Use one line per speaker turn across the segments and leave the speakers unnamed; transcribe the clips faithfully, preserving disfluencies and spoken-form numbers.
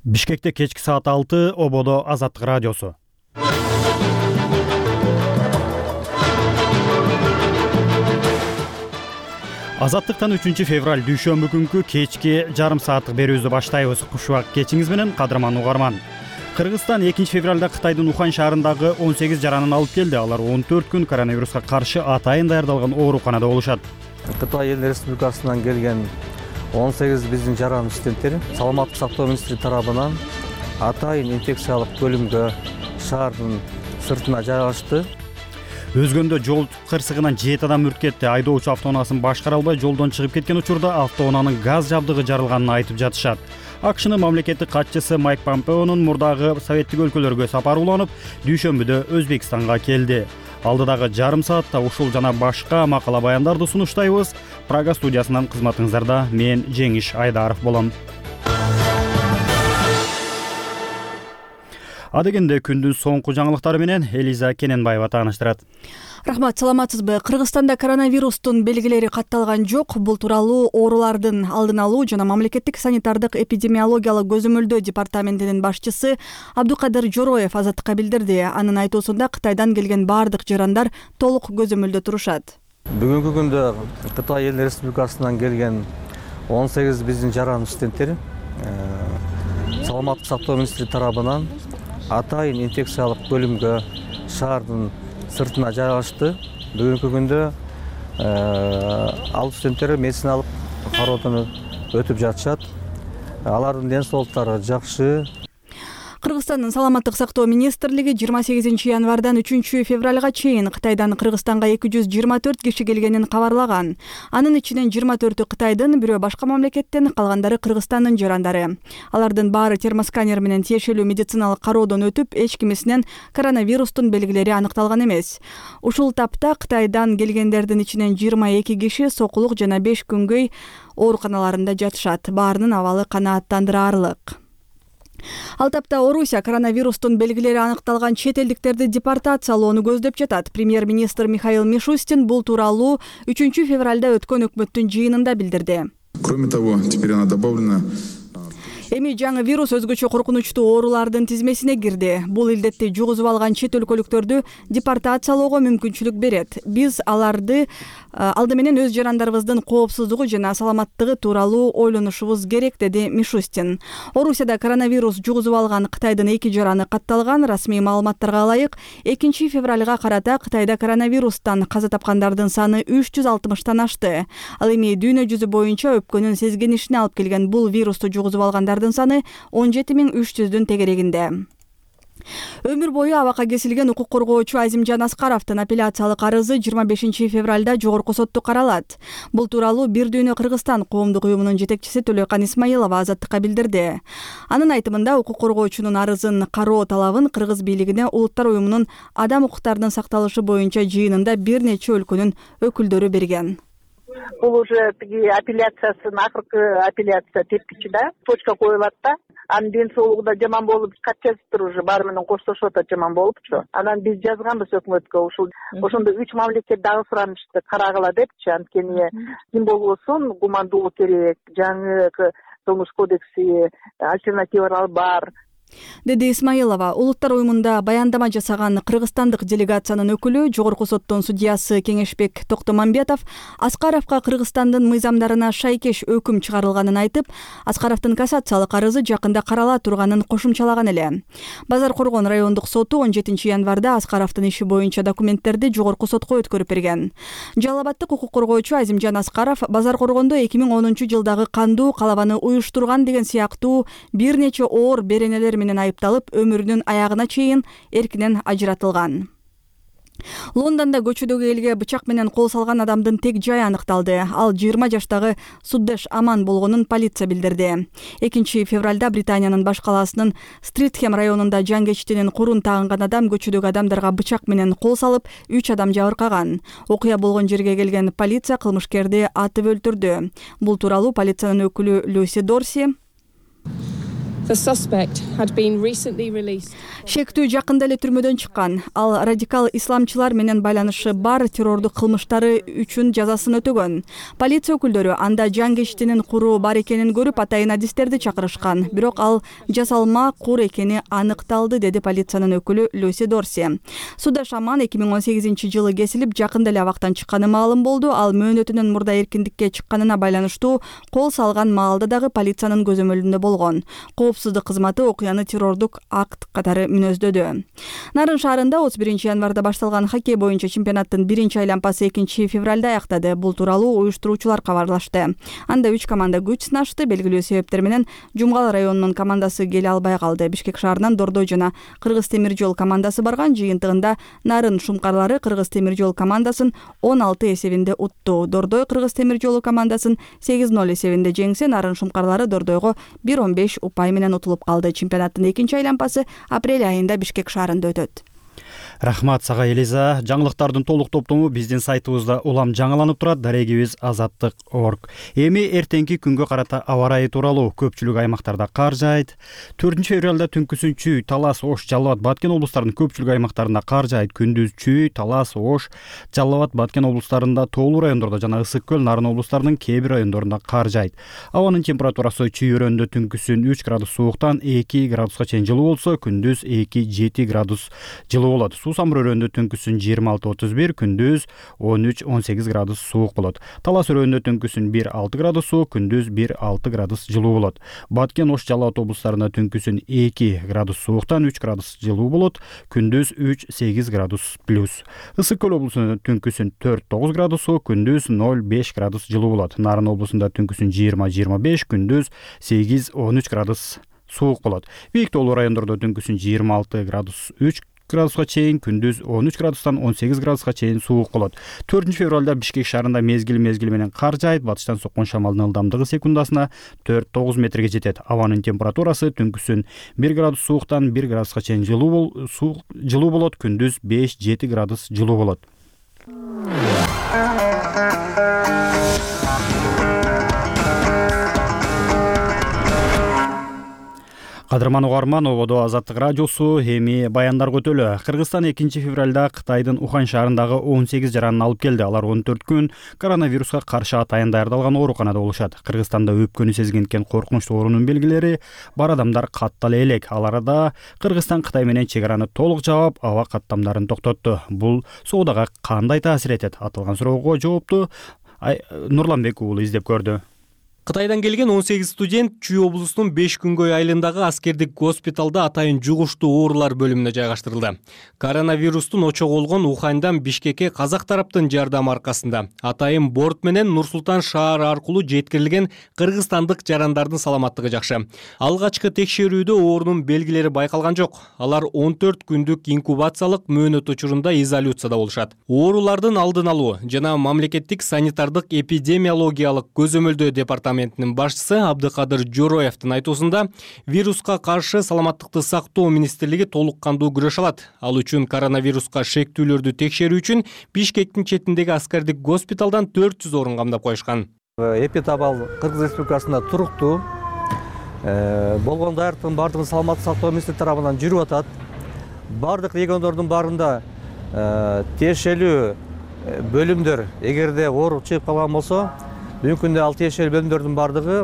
Бишкекте кечки саат алты, Ободо Азаттык радиосу. Азаттыктан үчүнчү февраль дүйшөмбү күнкү кечки жарым сааттык берүүбүздү баштайбыз. Кушубак кечиңиз менен, кадырман угарман. Кыргызстан экинчи февралда Кытайдын Ухань шаарындагы он сегиз жаранын алып келди. Алар он төрт күн коронавируска каршы атайын даярдалган ооруканада болушат.
Кытай Эл Республикасынан келген он сегиз биздин жаран студенттер саламаттык сактоо министри тарабынан атайын инфекциялык бөлүмгө шаардын сыртына жайгашты.
Өзгөндө жол кырсыгынан жети адам үрт кетти. Айдоочу автоунаасын башкара албай жолдон чыгып кеткен учурда автоунаанын газ жабдыгы жарылганын айтып жатышат. АКШнын мамлекеттик катчысы Майк Помпеонун мурдагы советтик өлкөлөргө сапары уланып, дүйшөмбүдө Өзбекстанга келди. Алдыдагы жарым саатта ушул жана башка макала баяндарды сунуштайбыз. Прага студиясынан кызматыңыздарда мен Жеңиш Айдаров болом. Адегенде күндүн соңку жаңылыктары менен Элиза Кененбаева тааныштырат.
Рахмат, саламатсызбы? Кыргызстанда коронавирустун белгилери катталган жок. Бул тууралуу оорулардын алдын алуу жана мамлекеттик санитардык эпидемиологиялык көзөмөлдөө департаментинин башчысы Абдукадыр Жороев Азаттыкка билдирди. Анын айтуусунда Кытайдан келген баардык жарандар толук көзөмөлдө турушат.
Бүгүнкү күндө Кытай Эл Республикасынан келген он сегиз биздин жаран студенттер саламаттык сактоо министри тарабынан атайын инфекциялык бөлүмгө шаардын сыртына жайгашты. Бүгүнкү күндө ал студенттер медициналык кароодон өтүп жатышат. Алардын ден соолуктары жакшы.
Кыргызстандын саламаттык сактоо министрлиги жыйырма сегизинчи январдан үчүнчү февралга чейин Кытайдан Кыргызстанга эки жүз жыйырма төрт киши келгенин кабарлаган. Анын ичинен жыйырма төртү Кытайдын, бирөө башка мамлекеттен, калгандары Кыргызстандын жарандары. Алардын баары термосканер менен тиешелүү медициналык кароодон өтүп, эч кимисинен коронавирустун белгилери аныкталган эмес. Ушул тапта Кытайдан келгендердин ичинен жыйырма эки киши сокулук жана беш күнгөй ооруканаларында жатышат. Баарынын абалы канааттандыраарлык. Ал тапта Орусия коронавирустун белгилери аныкталган чет элдиктерди депортациялоону көздөп жатат. Премьер-министр Михаил Мишустин бул тууралуу үчүнчү февралда өткөн өкмөттүн жыйынында билдирди.
Кроме того, теперь она добавлена.
Эми жаңы вирус өзгөчө коркунучтуу оорулардын тизмесине кирди. Бул илдетти жугузуп алган чет өлкөлүктөрдү депортациялоого мүмкүнчүлүк берет. Биз аларды алды менен өз жарандарыбыздын коопсуздугу жана саламаттыгы тууралуу ойлонушубуз керек, деди Мишустин. Орусияда коронавирус жугузуп алган Кытайдын эки жараны катталган. Расмий маалыматтарга ылайык, экинчи февралга карата Кытайда коронавирустан каза тапкандардын саны үч жүз алтымыштан ашты. Ал эми дүйнө жүзү боюнча өпкөнүн сезгенишине алып келген бул вирусту жугузуп алгандар саны он жети миң үч жүздүн тегерегинде. Өмүр бою абакка кесилген укук коргоочу Азимжан Аскаровдун апелляциялык арызы жыйырма бешинчи февралда жогорку сотто каралат. Бул тууралуу Бир дүйнө Кыргызстан коомдук уюмунун жетекчиси Төлөкан Исмаилова Азаттыкка билдирди. Анын айтымында укук коргоочунун арызын кароо талабын кыргыз бийлигине Улуттар уюмунун адам укуктарынын сакталышы боюнча жыйынында бир нече өлкөнүн өкүлдөрү берген.
Бул уже тиги апелляциясын акыркы апелляция тепкичи да, точка коюлат да. Анын ден соолугу да жаман болуп, кат жазыптыр уже, баары менен коштошуп атат, жаман болупчу. Анан биз жазганбыз өкмөткө, ушул ошондо үч мамлекет дагы суранышты карагыла депчи. Анткени ким болбосун гумандуулук керек, жаңы кылмыш кодекси, альтернативалар бар,
деди Исмаилова. Улуттар уюмунда баяндама жасаган кыргызстандык делегациянын өкүлү, жогорку соттун судьясы Кеңешбек Токтомамбетов Аскаровго Кыргызстандын мыйзамдарына шайкеш өкүм чыгарылганын айтып, Аскаровдун кассациялык арызы жакында карала турганын кошумчалаган эле. Базар Коргон райондук соту он жетинчи январда Аскаровдун иши боюнча документтерди жогорку сотко өткөрүп берген. Жалал Абадтык укук коргоочу Азимжан Аскаров Базар Коргондо эки миң онунчу жылдагы кандуу калабаны уюштурган деген сыяктуу бир нече оор беренелер менен айыпталып, өмүрүнүн аягына чейин эркинен ажыратылган. Лондонда көчөдөгү элге бычак менен кол салган адамдын тег жайы аныкталды. Ал жыйырма жаштагы Суддеш Аман болгонун полиция билдирди. экинчи февралда Британиянын баш калаасынын Стритхем районунда жангечтинин курун тагынган адам көчөдөгү адамдарга бычак менен кол салып, үч адам жабыркаган. Окуя болгон жерге келген полиция кылмышкерди атып өлтүрдү. Бул тууралуу полициянын өкүлү Люси Дорси
The suspect had been recently released.
Шектүү жакында эле түрмөдөн чыккан. Ал радикал исламчылар менен байланышы бар террордук кылмыштары үчүн жазасын өтөгөн. Полиция өкүлдөрү анда жан кечтинин куру бар экенин көрүп, атайын адистерди чакырышкан. Бирок ал жасалма кур экени аныкталды, деди полициянын өкүлү Люси Дорси. Суда Шаман эки миң он сегизинчи жылы кесилип, жакында эле абактан чыкканы маалым болду. Ал мөөнөтүнөн мурда эркиндикке чыкканына байланыштуу кол салган маалда дагы полициянын көзөмөлүндө болгон. Коопсуздук кызматы окуяны террордук акт катары мүнөздөдү. Нарын шаарында отуз биринчи январда башталган хоккей боюнча чемпионаттын биринчи айлампасы экинчи февралда аяктады. Бул тууралуу уюштуруучулар кабарлашты. Анда үч команда күч сынашты. Белгилүү себептер менен Жумгал районунун командасы келе албай калды. Бишкек шаарынан Дордой жана Кыргыз темир жол командасы барган. Жыйынтыгында Нарын шумкарлары Кыргыз темир жол командасын он алты эсебинде утту. Дордой Кыргыз темир жолу командасын сегиз ноль эсебинде жеңсе, Нарын шумкарлары Дордойго бир он беш упай менен утулуп калды. Чемпионаттын экинчи айлампасы апрель айында Бишкек шаарында өтөт.
Рахмат сага, Элиза. Жаңылыктардын толук топтому биздин сайтыбызда улам жаңыланып турат. Дарегибиз азаттык точка орг. Эми эртеңки күнгө карата аба ырайы тууралуу. Көпчүлүк аймактарда кар жаайт. төртүнчү февралда түнкүсүн Чүй, Талас, Ош, Жалал Абад, Баткен облустарынын көпчүлүк аймактарында кар жаайт. Күндүз Чүй, Талас, Ош, Жалал Абад, Баткен облустарында, тоолуу райондордо жана Ысык көл, Нарын облустарынын кээ бир райондорунда кар жаайт. Абанын температурасы Чүй өрөөндө түнкүсүн үч градус сууктан эки градуска чейин жылуу болсо, күндүз эки жети градус жылуу болот. Суу самыр өрөөндө түнкүсүн жыйырма алты отуз бир, күндүз он үч он сегиз градус суук болот. Талас өрөөндө түнкүсүн бир алты градус суук, күндүз бир алты градус жылуу болот. Баткен, Ош, Жалал Абад облустарында түнкүсүн эки градус сууктан үч градус жылуу болот, күндүз үч сегиз градус плюс. Ысык көл облусунда түнкүсүн төрт тогуз градус суук, күндүз ноль беш градус жылуу болот. Нарын облусунда түнкүсүн жыйырма жыйырма беш, күндүз сегиз он үч градус суук болот. Бийик тоолуу райондордо түнкүсүн жыйырма алты градус үч градуска чейин, күндүз он үч градустан он сегиз градуска чейин суук болот. төртүнчү февралда Бишкек шаарында мезгил мезгили менен кар жаайт. Батыштан соккон шамалдын ылдамдыгы секундасына төрт тогуз метрге жетет. Абанын температурасы түнкүсүн бир градус сууктан бир градуска чейин жылуу жылуу болот, күндүз беш жети градус жылуу болот. Кадырман угарман, ободо Азаттык радиосу, эми баяндарга өтөлү. Кыргызстан экинчи февралда Кытайдын Ухань шаарындагы он сегиз жаранын алып келди. Алар он төрт күн коронавируска каршы атайын даярдалган ооруканада болушат. Кыргызстанда өпкөнү сезген экен коркунучтуу оорунун белгилери бар адамдар каттала элек. Аларда Кыргызстан Кытай менен чек араны толук жаап, аба каттамдарын токтотту. Бул соодага кандай таасир этет? Аталган суроого жоопту Нурланбек уулу издеп көрдү.
Кытайдан келген он сегиз студент Чүй облусунун беш күнгөй айылындагы аскердик госпиталда атайын жугуштуу оорулар бөлүмүнө жайгаштырылды. Коронавирустун очогу болгон Уханьдан Бишкекке казак тараптын жардамы аркасында атайын борт менен Нур-Султан шаары аркылуу жеткирилген кыргызстандык жарандардын саламаттыгы жакшы. Алгачкы текшерүүдө оорунун белгилери байкалган жок. Алар он төрт күндүк инкубациялык мөөнөт учурунда изоляцияда болушат. Оорулардын алдын алуу жана мамлекеттик санитардык эпидемиологиялык көзөмөлдөө департаментинин башчысы Абдыкадыр Жороевдин айтуусунда, вируска каршы саламаттыкты сактоо министрлиги толук кандуу күрөш алат. Ал үчүн коронавируска шектүүлөрдү текшерүү үчүн Бишкектин четиндеги аскердик госпиталдан төрт жүз орун камдап коюшкан.
Эпидабал Кыргыз Республикасында туруктуу болгон даярдыктын бардыгын саламаттык сактоо министрлиги тарабынан жүрүп атат. Бардык региондордун баарында тиешелүү бөлүмдөр эгерде оору чыгып калган болсо, бүгүнкү күндө ал тиешелүү бөлүмдөрдүн бардыгы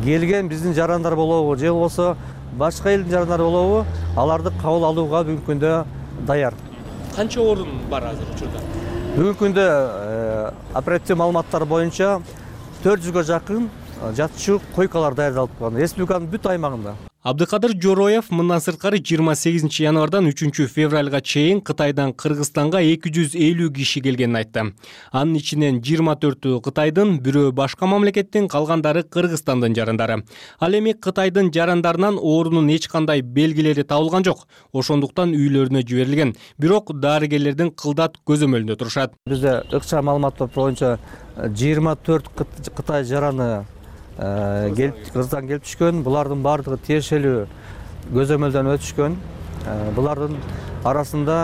келген биздин жарандар болобу же болбосо башка элдин жарандары болобу, аларды кабыл алууга бүгүнкү күндө даяр.
Канча орун бар азыр учурда?
Бүгүнкү күндө оперативдик маалыматтар боюнча төрт жүзгө жакын жатчу койкалар даярдалып калган республиканын бүт аймагында.
Абдыкадыр Жороев мындан сырткары жыйырма сегизинчи январдан үчүнчү февралга чейин Кытайдан Кыргызстанга эки жүз элүү киши келгенин айтты. Анын ичинен жыйырма төртү Кытайдын, бирөө башка мамлекеттин, калгандары Кыргызстандын жарандары. Ал эми Кытайдын жарандарынан оорунун эч кандай белгилери табылган жок. Ошондуктан үйлөрүнө жиберилген. Бирок дарыгерлердин кылдат көзөмөлүндө турушат.
Бизде ыкча маалыматтар боюнча жыйырма төрт Кытай жараны келип Кыргызстанга келип түшкөн. Булардын бардыгы тиешелүү көзөмөлдөн өтүшкөн. Булардын арасында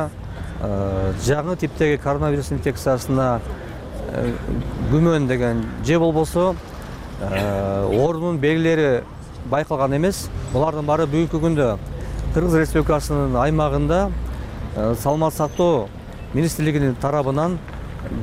жаңы типтеги коронавирус инфекциясына күмөн деген же болбосо оорунун белгилери байкалган эмес. Булардын баары бүгүнкү күндө Кыргыз Республикасынын аймагында саламаттык сактоо министрлигинин тарабынан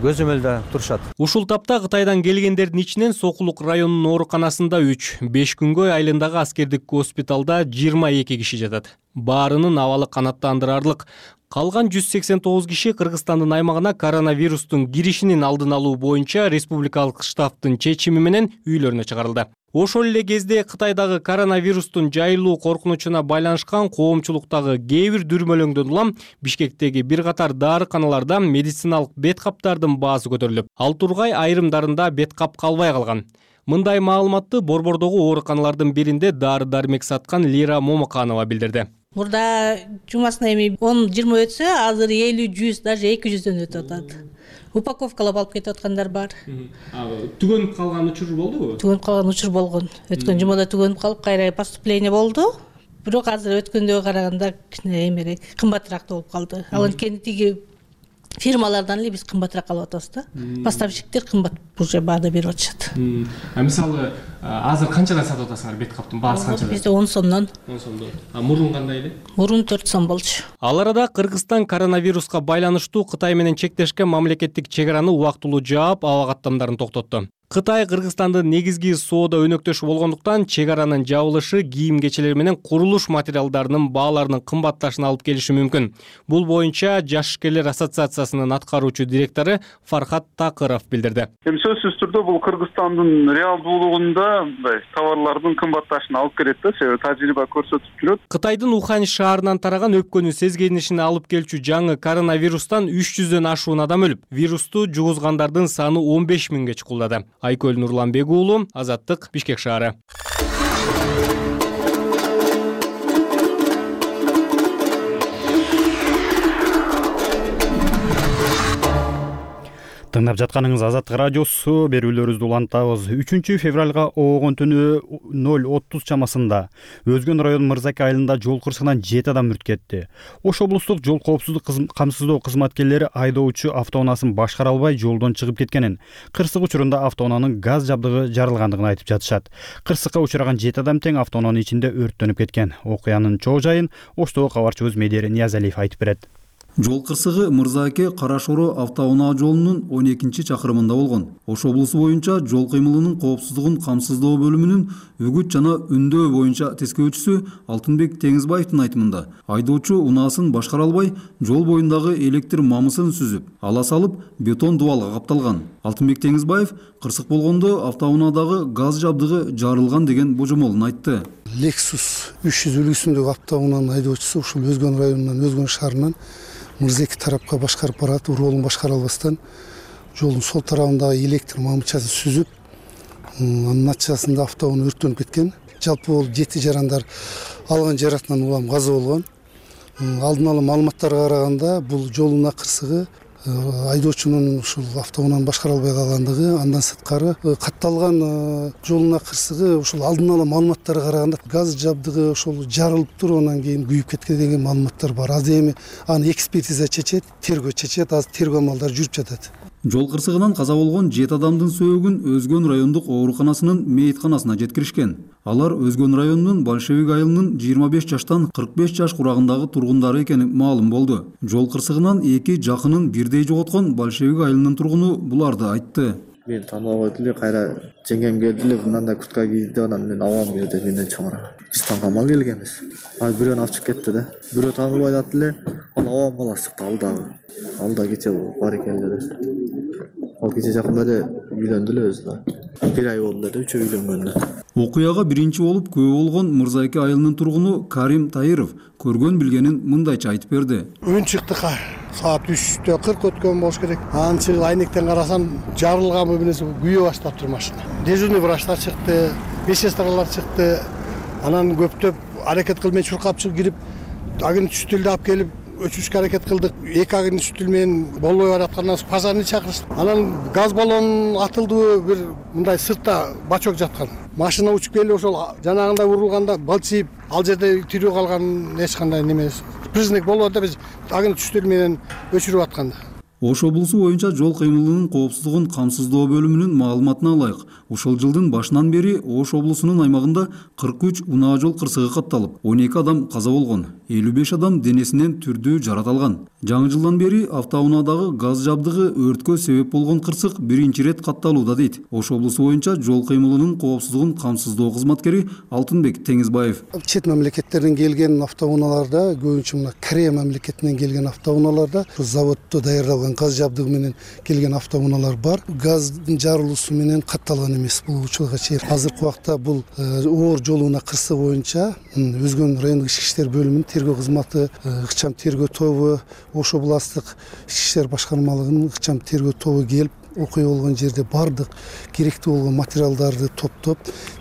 көзөмөлдө турушат.
Ушул тапта Кытайдан келгендердин ичинен Сокулук районунун ооруканасында үч, Бешкүнгөй айылындагы аскердик госпиталда жыйырма эки киши жатат. Баарынын абалы канааттандырарлык. Калган жүз сексен тогуз киши Кыргызстандын аймагына коронавирустун киришинин алдын алуу боюнча республикалык штабтын чечими менен үйлөрүнө чыгарылды. Ошол эле кезде Кытайдагы коронавирустун жайылуу коркунучуна байланышкан коомчулуктагы кээ бир дүрмөлөңдөн улам Бишкектеги бир катар дарыканаларда медициналык бет каптардын баасы көтөрүлүп, ал тургай айрымдарында бет кап калбай калган. Мындай маалыматты Борбордогу ооруканалардын биринде дары-дармек саткан Лира Момоканова билдирди.
Мурда жумасына эми он жыйырма өтсө, азыр элүү жүз, даже эки жүздөн өтүп атат. Упаковкалап алып кетип аткандар бар.
Түгөнүп калган учур болдубу?
Түгөнүп калган учур болгон. Өткөн жумада түгөнүп калып, кайра поступление болду. Бирок азыр өткөндөгө караганда кичине эмерээк, кымбатыраак болуп калды. Ал анткени тиги фирмалардан эле биз кымбатыраак алып атабыз да. Поставщиктер кымбат уже баада берип атышат.
А мисалы азыр канчадан сатып атасыңар бет каптын баасы канчадан?
Бизде он сомдон.
он сомдон. А мурун кандай эле?
Мурун төрт сом болчу.
Ал арада Кыргызстан коронавируска байланыштуу Кытай менен чектешкен мамлекеттик чек араны убактылуу жаап, аба каттамдарын токтотту. Кытай Кыргызстандын негизги соода өнөктөшү болгондуктан чек аранын жабылышы кийим-кечелер менен курулуш материалдарынын бааларынын кымбатташына алып келиши мүмкүн. Бул боюнча Жаш ишкерлер ассоциациясынын аткаруучу директору Фархат Такыров билдирди.
Эми сөзсүз түрдө бул Кыргызстандын реалдуулугунда мындай товарлардын кымбатташына алып келет да, себеби тажрыйба көрсөтүп жүрөт.
Кытайдын Ухань шаарынан тараган өпкөнү сезгенишине алып келчү жаңы коронавирустан үч жүздөн ашуун адам өлүп, вирусту жугузгандардын саны он беш миңге чукулдады. Айкөл Нурланбек уулу, Азаттык, Бишкек шаары.
Тыңдап жатканыңыз Азаттык радиосу, берүүлөрүбүздү улантабыз. үчүнчү февралга оогон түнү ноль отуз чамасында Өзгөн районунун Мырзаке айылында жол кырсыгынан жети адам мүрт кетти. Ош облустук жол коопсуздук камсыздоо кызматкерлери айдоочу автоунаасын башкара албай жолдон чыгып кеткенин, кырсык учурунда автоунаанын газ жабдыгы жарылгандыгын айтып жатышат. Кырсыкка учураган жети адам тең автоунаанын ичинде өрттөнүп кеткен. Окуянын чоо жайын Оштогу кабарчыбыз Медер Ниязалиев айтып берет.
Жол кырсыгы Мырзаке Карашоро автоунаа жолунун он экинчи чакырымында болгон. Ош облусу боюнча жол кыймылынын коопсуздугун камсыздоо бөлүмүнүн үгүт жана үндөө боюнча тескөөчүсү Алтынбек Теңизбаевдин айтымында, айдоочу унаасын башкара албай, жол боюндагы электр мамысын сүзүп, ала салып, бетон дубалга капталган. Алтынбек Теңизбаев кырсык болгондо автоунаадагы газ жабдыгы жарылган деген божомолун айтты.
Lexus үч жүз үлгүсүндөгү автоунаанын айдоочусу ушул Өзгөн районунан, Өзгөн шаарынан Мырзаке тарапка башкарып барат, уроолун башкара албастан жолдун сол тарабындагы электр мамычасын сүзүп, анын натыйжасында автоунаа өрттөнүп кеткен. Жалпы бул жети жарандар алган жаракатынан улам каза болгон. Алдын ала маалыматтарга караганда бул жолунаа кырсыгы айдоочунун ушул автоунааны башкара албай калгандыгы, андан сырткары катталган жолунаа кырсыгы ушул алдын ала маалыматтарга караганда газ жабдыгы ошол жарылып туруп анан кийин күйүп кеткен деген маалыматтар бар. Азыр эми аны экспертиза чечет, тергөө чечет, азыр тергөө амалдары жүрүп жатат.
Жол кырсыгынан каза болгон жети адамдын сөөгүн Өзгөн райондук ооруканасынын мейитканасына жеткиришкен. Алар Өзгөн районунун Большевик айылынын жыйырма беш жаштан кырк беш жаш курагындагы тургундары экени маалым болду. Жол кырсыгынан эки жакынын бирдей жоготкон Большевик айылынын тургуну буларды айтты.
Мен тааныбай эле, кайра жеңгем келди эле, мындай куртка кийди, анан мен абам келди, менден чоңураак. Биз таңгамал келгенбиз. Ал бирөөнү алып чыгып кетти да. Бирөө тааныбай атат эле, ал абам баласы чыкты, ал дагы. Ал да кече бар экен эле. Ал кече жакында эле үйлөндү эле өзү да. Бир ай болду эле үчөө үйлөнгөндө.
Окуяга биринчи болуп күбө болгон Мырзаке айылынын тургуну Карим Таиров көргөн билгенин мындайча айтып берди.
Үн чыкты, саат үчтө кырк өткөн болуш керек. Анан чыгып айнектен карасам, жарылган бөбүнөсү күйө баштаптыр машина. Дежурный врачтар чыкты, беш сестралар чыкты. Анан көптөп аракет кылып мен чуркап чыгып кирип, агын түштүлдү алып келип өчүрүшкө аракет кылдык. Эки агын түштүл менен болбой бараткандан соң пожарный чакырышты. Анан газ баллон атылды, бир мындай сыртта бачок жаткан. Машина учуп келип ошол жанагында урулганда балчыйып, ал жерде тирүү калган эч кандай неме признак болбоду да, биз агын түштүл менен өчүрүп атканда.
Ош облусу боюнча жол кыймылынын коопсуздугун камсыздоо бөлүмүнүн маалыматына ылайык, ушул жылдын башынан бери Ош облусунун аймагында кырк үч унаа жол кырсыгы катталып, он эки адам каза болгон, элүү беш адам денесинен түрдүү жарат алган. Жаңы жылдан бери автоунаадагы газ жабдыгы өрткө себеп болгон кырсык биринчи ирет катталууда дейт Ош облусу боюнча жол кыймылынын коопсуздугун камсыздоо кызматкери Алтынбек Теңизбаев.
Чет мамлекеттерден келген автоунааларда, көбүнчө мына Корея мамлекетинен келген автоунааларда заводдо даярдалган газ жабдыгы менен келген автоунаалар бар. Газдын жарылуусу менен катталган эмес бул учурга чейин. Азыркы убакта бул оор жол унаа кырсыгы боюнча Өзгөн райондук ички иштер бөлүмүнүн тергөө кызматы, ыкчам тергөө тобу, Ош областык ички иштер башкармалыгынын ыкчам тергөө тобу келип, окуя болгон жерде бардык керектүү болгон материалдарды топтоп,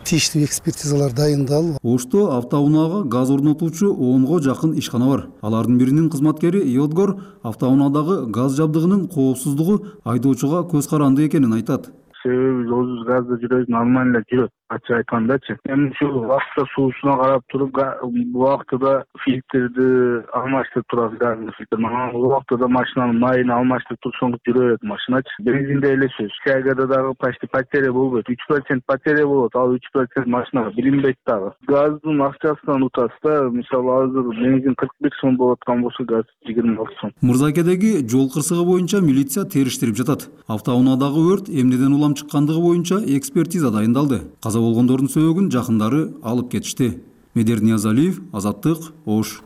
тийиштүү экспертизалар дайындалып.
Ошто автоунаага газ орнотуучу онго жакын ишкана бар. Алардын биринин кызматкери Йодгор автоунаадагы газ жабдыгынын коопсуздугу айдоочуга көз каранды экенин айтат.
Себеби өзүбүз газда жүрөбүз, нормально жүрөт. Ачык айткандачы. Эми ушул убакытта суусуна карап туруп, убактыда фильтрди алмаштырып турабыз, газдын фильтрин. Убактыда машинанын майын алмаштырып турсоңуз жүрө берет машиначы. Бензинде эле сөз. Тягада дагы почти потеря болбойт. үч процент потеря болот, ал үч процент машинага билинбейт дагы. Газдын акчасынан утасыз да. Мисалы азыр бензин кырк бир сом болуп аткан болсо, газ жыйырма алты сом.
Мырзакедеги жол кырсыгы боюнча милиция териштирип жатат. Автоунаадагы өрт эмнеден улам чыккандыгы боюнча экспертиза дайындалды. Каза болгондордун сөөгүн жакындары алып кетишти. Медер Ниязалиев, Азаттык, Ош.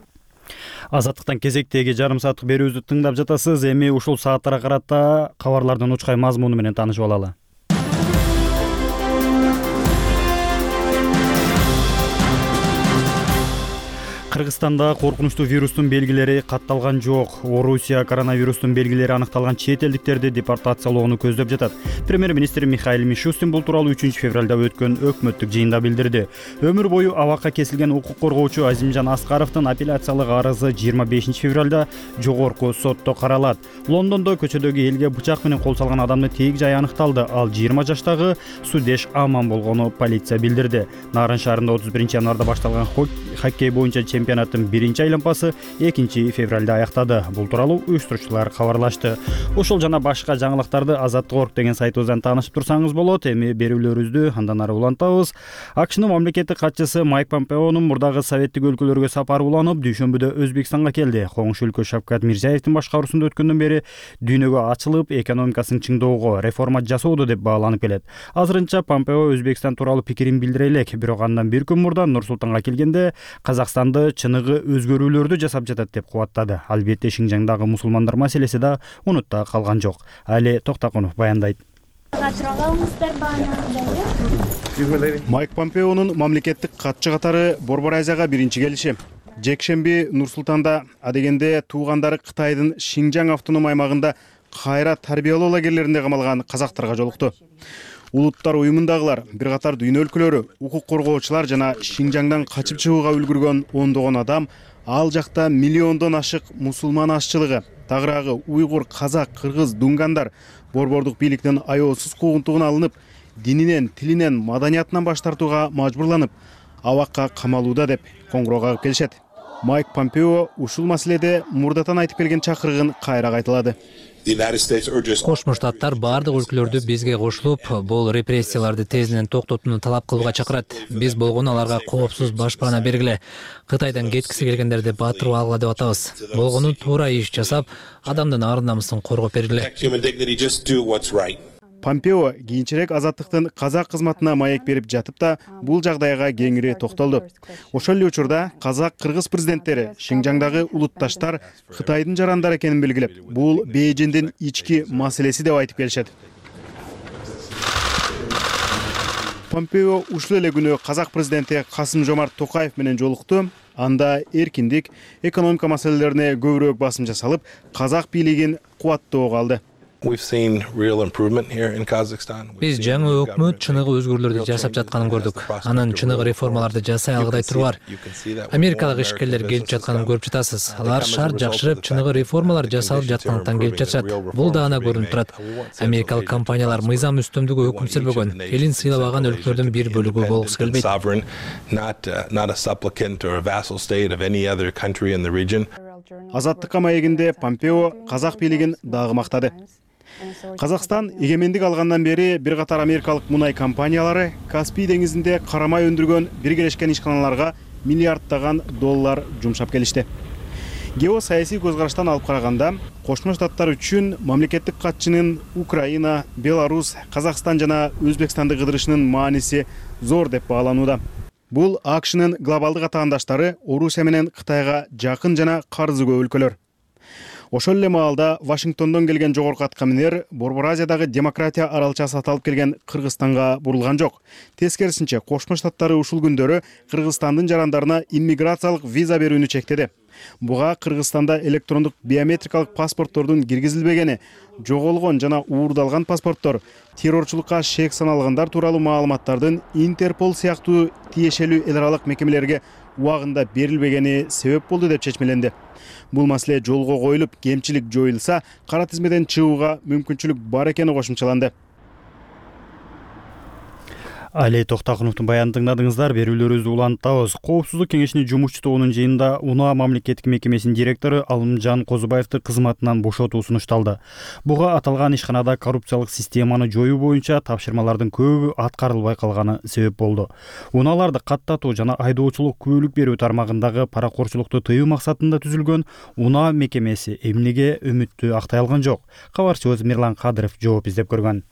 Азаттыктан кезектеги жарым сааттык берүүбүздү тыңдап жатасыз. Эми ушул сааттарга карата кабарлардын учкай мазмуну менен таанышып алалы. Кыргызстанда коркунучтуу вирустун белгилери катталган жок. Орусия коронавирустун белгилери аныкталган чет элдиктерди депортациялоону көздөп жатат. Премьер-министр Михаил Мишустин бул тууралуу үчүнчү февралда өткөн өкмөттүк жыйында билдирди. Өмүр бою абакка кесилген укук коргоочу Азимжан Аскаровдун апелляциялык арызы жыйырма бешинчи февралда жогорку сотто каралат. Лондондо көчөдөгү элге бычак менен кол салган адамдын тейик жайы аныкталды. Ал жыйырма жаштагы Судеш Аман болгону полиция билдирди. Нарын шаарында отуз биринчи январда башталган хоккей боюнча чемпионаттын биринчи айланпасы экинчи февралда аяктады. Бул тууралуу уюштуруучулар кабарлашты. Ошол жана башка жаңылыктарды Азаттык орг деген сайтыбыздан таанышып турсаңыз болот. Эми берүүлөрүбүздү андан ары улантабыз. АКШнын мамлекеттик катчысы Майк Помпеонун мурдагы советтик өлкөлөргө сапары уланып, дүйшөмбүдө Өзбекстанга келди. Коңшу өлкө Шавкат Мирзиевдин башкаруусунда өткөндөн бери дүйнөгө ачылып, экономикасын чыңдоого, реформа жасоодо деп бааланып келет. Азырынча Помпео Өзбекстан тууралуу пикирин билдире элек, бирок андан бир күн мурда Нур Султанга келгенде Казакстанды чыныгы өзгөрүүлөрдү жасап жатат деп кубаттады. Албетте Шинжаңдагы мусулмандар маселеси да унутта калган жок. Али Токтакунов баяндайт.
Майк Помпеонун мамлекеттик катчы катары Борбор Азияга биринчи келиши. Жекшемби Нур Султанда адегенде туугандары Кытайдын Шинжаң автоном аймагында кайра тарбиялоо лагерлеринде камалган казактарга жолукту. Улуттар уюмундагылар, бир катар дүйнө өлкөлөрү, укук коргоочулар жана Шинжаңдан качып чыгууга үлгүргөн ондогон адам, ал жакта миллиондон ашык мусулман ашчылыгы, тагыраагы уйгур, казак, кыргыз, дунгандар борбордук бийликтин аяосуз куугунтугуна алынып, дининен, тилинен, маданиятынан баш тартууга мажбурланып, абакка камалууда деп коңгуроо кагып келишет. Майк Помпео ушул маселеде мурдатан айтып келген чакырыгын кайра кайталады.
Кошмо Штаттар бардык өлкөлөрдү бизге кошулуп, бул репрессияларды тезинен токтотууну талап кылууга чакырат. Биз болгону аларга коопсуз башпаана бергиле. Кытайдан кеткиси келгендерди батырып алгыла деп атабыз. Болгону туура иш жасап, адамдын ар намысын коргоп бергиле.
Помпео кийинчерээк Азаттыктын казак кызматына маек берип жатып да, бул жагдайга кеңири токтолду. Ошол эле учурда казак-кыргыз президенттери Шинжаңдагы улутташтар Кытайдын жарандары экенин белгилеп, бул Бейжиңдин ички маселеси деп айтып келишет. Помпео ушул эле күнү казак президенти Касым-Жомарт Токаев менен жолукту. Анда эркиндик, экономика маселелерине көбүрөөк басым жасалып, казак бийлигин кубаттоого алды.
Биз жаңы өкмөт чыныгы өзгөрүүлөрдү жасап жатканын көрдүк. Анын чыныгы реформаларды жасай алгыдай туруу бар. Америкалык ишкерлер келип жатканын көрүп жатасыз. Алар шаар жакшырып, чыныгы реформалар жасалып жаткандыктан келип жатышат. Бул да ана көрүнүп турат. Америкалык компаниялар мыйзам үстөмдүгү өкүм сүрбөгөн, элин сыйлабаган өлкөлөрдүн бир бөлүгү болгусу келбейт.
Азаттыкка маегинде Помпео казак бийлигин дагы мактады. Казакстан эгемендик алгандан бери бир катар америкалык мунай компаниялары Каспий деңизинде карамай өндүргөн биргелешкен ишканаларга миллиарддаган доллар жумшап келишти. Геосаясий көз караштан алып караганда, Кошмо Штаттар үчүн мамлекеттик катчынын Украина, Беларусь, Казакстан жана Өзбекстанды кыдырышынын мааниси зор деп бааланууда. Бул АКШнын глобалдык атаандаштары Орусия менен Кытайга жакын жана карызы көп өлкөлөр. Ошол эле маалда Вашингтондон келген жогорку аткаминер Борбор Азиядагы демократия аралчасы аталып келген Кыргызстанга бурулган жок. Тескерисинче, Кошмо Штаттары ушул күндөрү Кыргызстандын жарандарына иммиграциялык виза берүүнү чектеди. Буга Кыргызстанда электрондук биометрикалык паспорттордун киргизилбегени, жоголгон жана уурдалган паспорттор, террорчулукка шек саналгандар тууралуу маалыматтардын Интерпол сыяктуу тиешелүү эл аралык мекемелерге убагында берилбегени себеп болду деп чечмеленди. Бул маселе жолго коюлуп, кемчилик жоюлса, кара тизмеден чыгууга мүмкүнчүлүк бар экени кошумчаланды.
Алий Токтакуновдун баянын тыңдадыңыздар. Берүүлөрүбүздү улантабыз. Коопсуздук кеңешинин жумушчу тобунун жыйынында УНА мамлекеттик мекемесинин директору Алымжан Козубаевди кызматынан бошотуу сунушталды. Буга аталган ишканада коррупциялык системаны жоюу боюнча тапшырмалардын көбү аткарылбай калганы себеп болду. УНАларды каттатуу жана айдоочулук күбөлүк берүү тармагындагы паракорчулукту тыюу максатында түзүлгөн УНА мекемеси эмнеге үмүттү актай алган жок? Кабарчыбыз Мирлан Кадыров жооп издеп көргөн.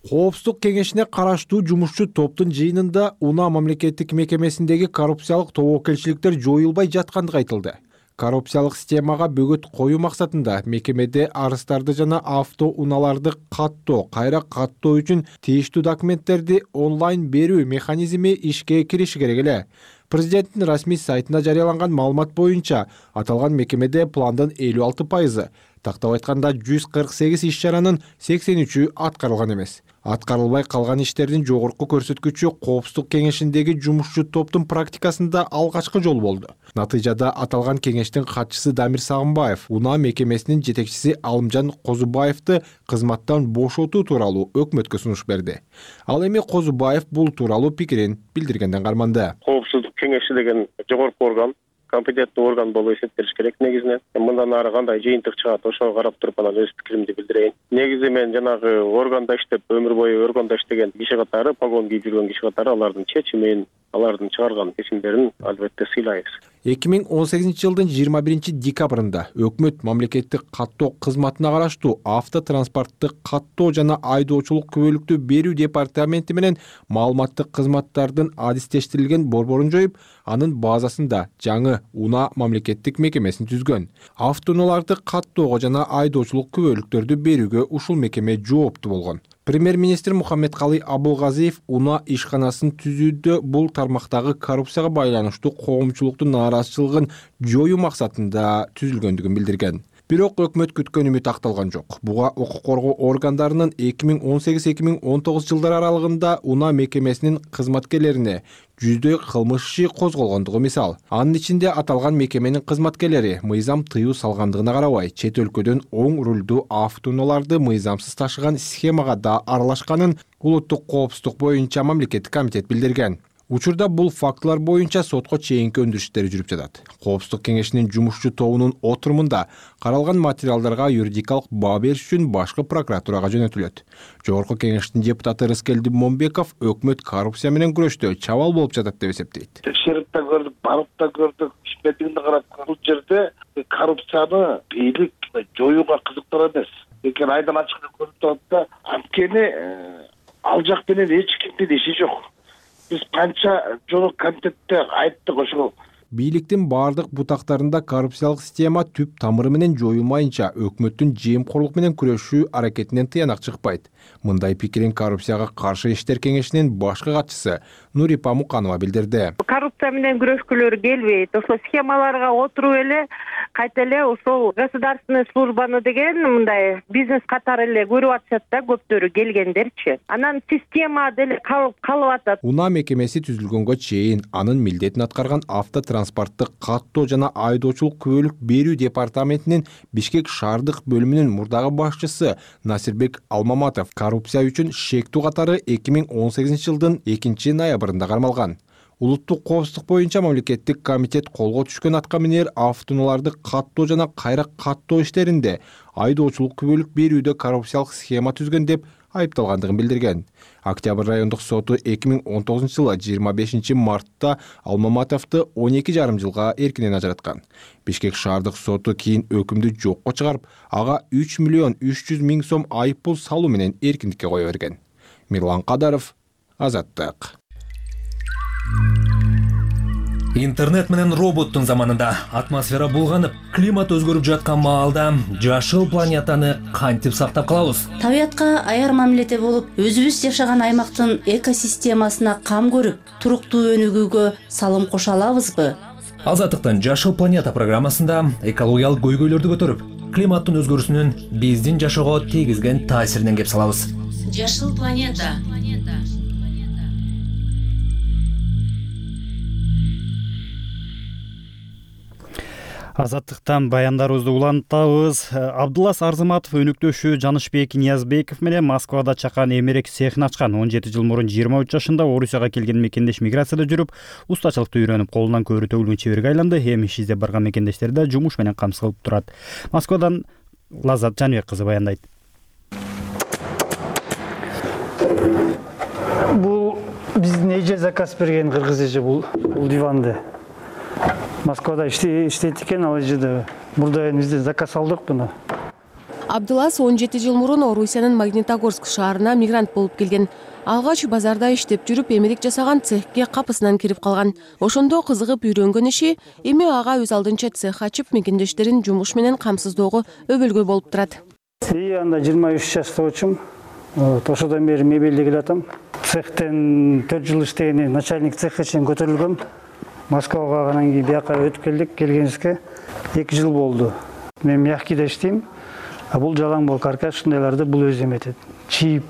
Коопсуздук кеңешине караштуу жумушчу топтун жыйынында УНА мамлекеттик мекемесиндеги коррупциялык тобокелчиликтер жоюлбай жаткандыгы айтылды. Коррупциялык системага бөгөт коюу максатында мекемеде арыздарды жана автоунааларды каттоо, кайра каттоо үчүн тийиштүү документтерди онлайн берүү механизми ишке кириши керек эле. Президенттин расмий сайтында жарыяланган маалымат боюнча, аталган мекемеде пландын элүү алты пайызы, тактап айтканда жүз кырк сегиз иш-чаранын сексен үчү аткарылган эмес. Аткарылбай калган иштердин жогорку көрсөткүчү Коопсуздук кеңешиндеги жумушчу топтун практикасында алгачкы жолу болду. Натыйжада аталган кеңештин катчысы Дамир Сагынбаев УНА мекемесинин жетекчиси Алымжан Козубаевди кызматтан бошотуу тууралуу өкмөткө сунуш берди. Ал эми Козубаев бул тууралуу пикирин билдиргенден карманды.
Коопсуздук кеңеши деген жогорку орган, компетенттүү орган болуп эсептелиш керек негизинен. Мындан ары кандай жыйынтык чыгат, ошого карап туруп анан өз пикиримди билдирейин. Негизи мен жанагы органда иштеп, өмүр бою органда иштеген киши катары, погон кийип жүргөн киши катары алардын чечимин, алардын чыгарган чечимдерин албетте сыйлайбыз.
эки миң он сегизинчи жылдын жыйырма биринчи декабрында өкмөт мамлекеттик каттоо кызматына караштуу автотранспорттук каттоо жана айдоочулук күбөлүктү берүү департаменти менен маалыматтык кызматтардын адистештирилген борборун жоюп, анын базасында жаңы УНА мамлекеттик мекемесин түзгөн. Автоунааларды каттоого жана айдоочулук күбөлүктөрдү берүүгө ушул мекеме жооптуу болгон. Премьер-министр Мухаммедкалый Абылгазиев УНА ишканасын түзүүдө бул тармактагы коррупцияга байланыштуу коомчулуктун нааразычылыгын жоюу максатында түзүлгөндүгүн билдирген. Бирок өкмөт күткөн үмүт акталган жок. Буга укук коргоо органдарынын эки миң он сегиз эки миң он тогуз жылдар аралыгында УНА мекемесинин кызматкерлерине жүздөй кылмыш иши козголгондугу мисал. Анын ичинде аталган мекеменин кызматкерлери мыйзам тыюу салгандыгына карабай, чет өлкөдөн оң рулдуу автоунааларды мыйзамсыз ташыган схемага да аралашканын улуттук коопсуздук боюнча мамлекеттик комитет билдирген. Учурда бул фактылар боюнча сотко чейинки өндүрүштөр жүрүп жатат. Коопсуздук кеңешинин жумушчу тобунун отурумунда каралган материалдарга юридикалык баа бериш үчүн башкы прокуратурага жөнөтүлөт. Жогорку кеңештин депутаты Рыскелди Момбеков өкмөт коррупция менен күрөштө чабал болуп жатат деп эсептейт.
Текшерип да көрдүк, барып да көрдүк, ишметинде карап бул жерде коррупцияны бийлик жоюуга кызыктар эмес. Экен айдан ачык көрүп турат да, анткени ал жак менен эч кимдин иши жок. Биз канча жолу комитетте айттык ошол.
Бийликтин бардык бутактарында коррупциялык система түп тамыры менен жоюлмайынча өкмөттүн жемкорлук менен күрөшүү аракетинен тыянак чыкпайт. Мындай пикирин коррупцияга каршы иштер кеңешинин башкы катчысы Нурипа Муканова билдирди.
Коррупция менен күрөшкүлөр келбейт. Ошо схемаларга отуруп эле кайта эле ошол государственный службаны деген мындай бизнес катары эле көрүп атышат да, көптөрү келгендерчи. Анан система деле калып калып атат.
УНА мекемеси түзүлгөнгө чейин анын милдетин аткарган автотранспорттук каттоо жана айдоочулук күбөлүк берүү департаментинин Бишкек шаардык бөлүмүнүн мурдагы башчысы Насирбек Алмаматов коррупция үчүн шектүү катары эки миң он сегизинчи жылдын экинчи ноябрында кармалган. улуттук коопсуздук боюнча мамлекеттик комитет колго түшкөн атка минер автоунааларды каттоо жана кайра каттоо иштеринде айдоочулук күбөлүк берүүдө коррупциялык схема түзгөн деп айыпталгандыгын билдирген. Октябрь райондук соту эки миң он тогузунчу жылы жыйырма бешинчи мартта Алмаматовду он эки жарым жылга эркинен ажыраткан. Бишкек шаардык соту кийин өкүмдү жокко чыгарып, ага үч миллион үч жүз миң сом айып пул салуу менен эркиндикке кое берген. Мирлан Кадаров, Азаттык.
Интернет менен роботтун заманында атмосфера булганып, климат өзгөрүп жаткан маалда жашыл планетаны кантип сактап калабыз?
Табиятка аяр мамиледе болуп, өзүбүз жашаган аймактын экосистемасына кам көрүп, туруктуу өнүгүүгө салым кошо алабызбы?
Азаттыктын Жашыл планета программасында экологиялык көйгөйлөрдү көтөрүп, климаттын өзгөрүүсүнүн биздин жашоого тийгизген таасиринен кеп салабыз.
Жашыл планета.
Азаттыктан баяндарыбызды улантабыз. Абдуллас Арзыматов өнүктөшү Жанышбек Ниязбеков менен Москвада чакан эмерек цехин ачкан. он жети жыл мурун жыйырма үч жашында Орусияга келген мекендеш миграцияда жүрүп, устачылыкты үйрөнүп, колунан көрүү төгүлгөн чеберге айланды. Эми иш издеп барган мекендештери да жумуш менен камсыз кылып турат. Москвадан Лаззат Жаныбек кызы баяндайт.
Бул биздин эже заказ берген, кыргыз эже бул бул диванды. Москвада иштейт экен, ал жерде бурда бизде заказ алдык буну.
Абдуллас он жети жыл мурун Орусиянын Магнитогорск шаарына мигрант болуп келген. Алгач базарда иштеп жүрүп, эмерек жасаган цехке капысынан кирип калган. Ошондо кызыгып үйрөнгөн иши эми ага өз алдынча цех ачып, мекендештерин жумуш менен камсыздоого өбөлгөй болуп турат.
И анда жыйырма үч жаштагычым. Ошодон бери мебелди келатам. Цехтен төрт жыл иштегени начальник цехке чейин көтөрүлгөм. Москвага анан кийин бияка өтүп келдик, келгенибизге эки жыл болду. Мен мягкийде иштейм, а бул жалаң бол каркас ушундайларды бул өзү эметет. Чийип.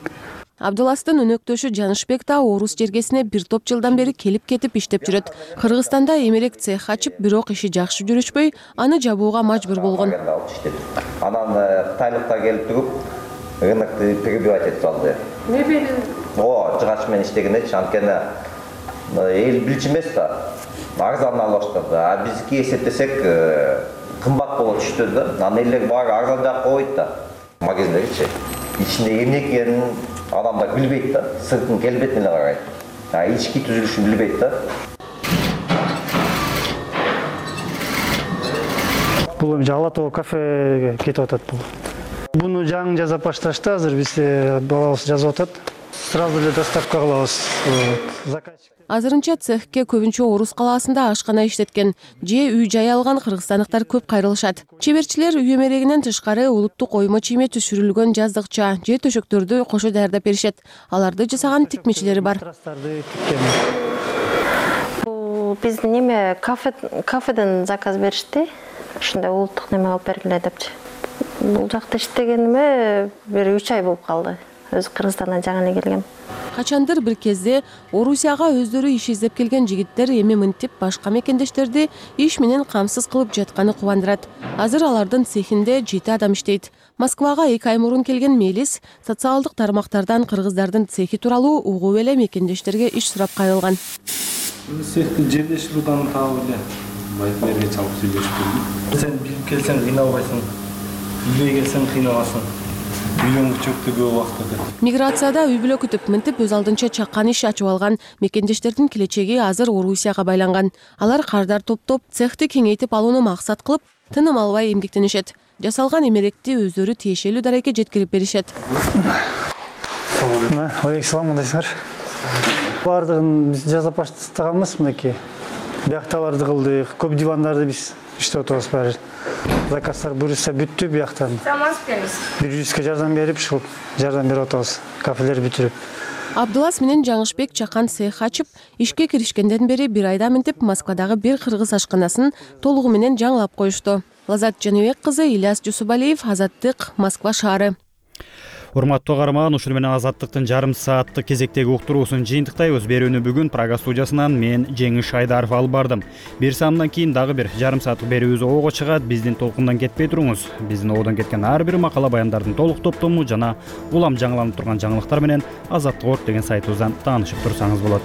Абдулластын өнөктөшү Жанышбек да Орус жергесине бир топ жылдан бери келип-кетип иштеп жүрөт. Кыргызстанда эмерек цех ачып, бирок иши жакшы жүрүшпөй, аны жабууга мажбур болгон.
Анан Кытайлыктар келип туруп, рынокты перебивать этип алды.
Мебель?
О, жыгач менен иштегенде анткени эл билчү эмес да. Арзан алыштырды. А бизки эсептесек кымбат боло түштү да. Анан элдер баары арзан жаап койбойт да. Магазиндегичи. Ичинде эмне экенин адамдар билбейт да. Сыртын келбетине эле карайт. А ички түзүлүшүн билбейт да.
Бул эми Алатоо кафеге кетип атат бул. Буну жаңы жазап башташты, азыр биз балабыз жазып атат. Сразу эле доставка кылабыз. Заказчик
Азырынча цехке көбүнчө Орус калаасында ашкана иштеткен, же үй-жай алган кыргызстандыктар көп кайрылышат. Чеберчилер үй эмерегинен тышкары улуттук оймо чийме түшүрүлгөн жаздыкча же төшөктөрдү кошо даярдап беришет. Аларды жасаган тикмечилери бар.
Бул биздин неме кафе кафеден заказ беришти. Ушундай улуттук неме алып бергиле депчи. Бул жакта иштегениме бир үч ай болуп калды. Өз Кыргызстандан жаңы эле келгем.
Качандыр бир кезде Орусияга өздөрү иш издеп келген жигиттер эми мынтип башка мекендештерди иш менен камсыз кылып жатканы кубандырат. Азыр алардын цехинде жети адам иштейт. Москвага эки ай мурун келген Мелис социалдык тармактардан кыргыздардын цехи тууралуу угуп эле мекендештерге иш сурап кайрылган.
Цехти жерлешип турган таап эле байкерге чалып сүйлөшүп келдим. Сен билип келсең кыйналбайсың. Билбей келсең кыйналасың.
Миграцияда үй бүлө күтүп, мынтип өз алдынча чакан иш ачып алган мекендештердин келечеги азыр Орусияга байланган. Алар кардар топтоп, цехти кеңейтип алууну максат кылып, тыным албай эмгектенишет. Жасалган эмеректи өздөрү тиешелүү дарекке жеткирип беришет.
Алейкум, кандайсыңар? Бардыгын биз жасап баштаганбыз мынакей. Биякталарды кылдык, көп дивандарды биз иштеп атабыз баары. Заказдар буюрса бүттү бияктан. бир жүзгө жардам берип, ушул жардам берип атабыз. Кафелер бүтүрүп.
Абдуллас менен Жаңышбек чакан цех ачып, ишке киришкенден бери бир айда мынтип Москвадагы бир кыргыз ашканасын толугу менен жаңылап коюшту. Лаззат Жаныбек кызы, Ильяс Жусубалиев, Азаттык, Москва шаары.
Урматтуу каарман, ушул менен Азаттыктын жарым сааттык кезектеги уктуруусун жыйынтыктайбыз. Берүүнү бүгүн Прага студиясынан мен Жеңиш Шайдаров алып бардым. Бир саамдан кийин дагы бир жарым сааттык берүүбүз оого чыгат. Биздин толкундан кетпей туруңуз. Биздин оодон кеткен ар бир макала баяндардын толук топтому жана улам жаңыланып турган жаңылыктар менен азаттык орг деген сайтыбыздан таанышып турсаңыз болот.